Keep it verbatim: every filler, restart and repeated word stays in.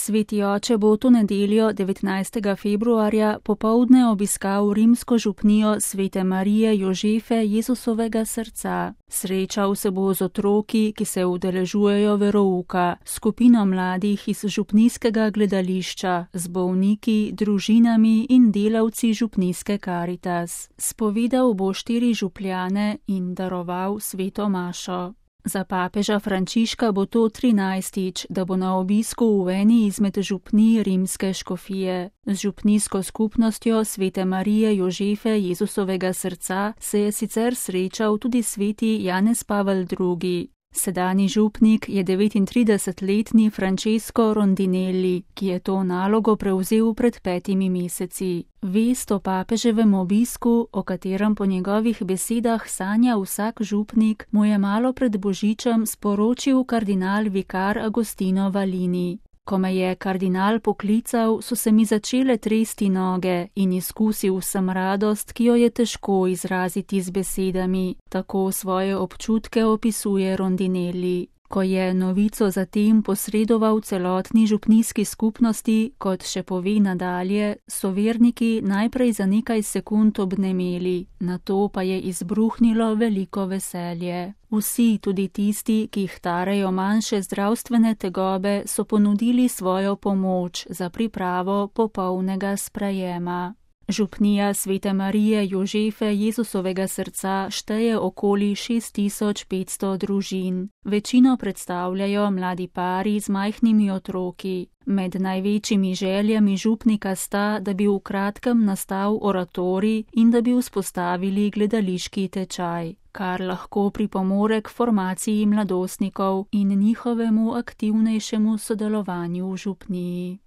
Sveti oče bo to nedeljo devetnajstega februarja popoldne obiskal rimsko župnijo Svete Marije Jožefe Jezusovega srca. Srečal se bo z otroki, ki se udeležujejo verouka, skupino mladih iz župnijskega gledališča, z bolniki, družinami in delavci župnijske Karitas. Spovedal bo štiri župljane in daroval sveto mašo. Za papeža Frančiška bo to trinajstič, da bo na obisku v eni izmed župnij rimske škofije. Z župnijsko skupnostjo Svete Marije Jožefe Jezusovega srca se je sicer srečal tudi sveti Janez Pavel drugi. Sedanji župnik je devetintridesetletni Francesco Rondinelli, ki je to nalogo prevzel pred petimi meseci. Vest o papeževem obisku, o katerem po njegovih besedah sanja vsak župnik, mu je malo pred božičem sporočil kardinal vikar Agostino Valini. Ko me je kardinal poklical, so se mi začele tresti noge in izkusil sem radost, ki jo je težko izraziti z besedami, tako svoje občutke opisuje Rondinelli. Ko je novico zatem posredoval celotni župnijski skupnosti, kot še pove nadalje, so verniki najprej za nekaj sekund obnemeli, nato pa je izbruhnilo veliko veselje. Vsi, tudi tisti, ki jih tarejo manjše zdravstvene tegobe, so ponudili svojo pomoč za pripravo popolnega sprejema. Župnija Svete Marije Jožefe Jezusovega srca šteje okoli šest tisoč petsto družin. Večino predstavljajo mladi pari z majhnimi otroki. Med največjimi željami župnika sta, da bi v kratkem nastal oratorij in da bi vzpostavili gledališki tečaj, kar lahko pripomore k formaciji mladostnikov in njihovemu aktivnejšemu sodelovanju v župniji.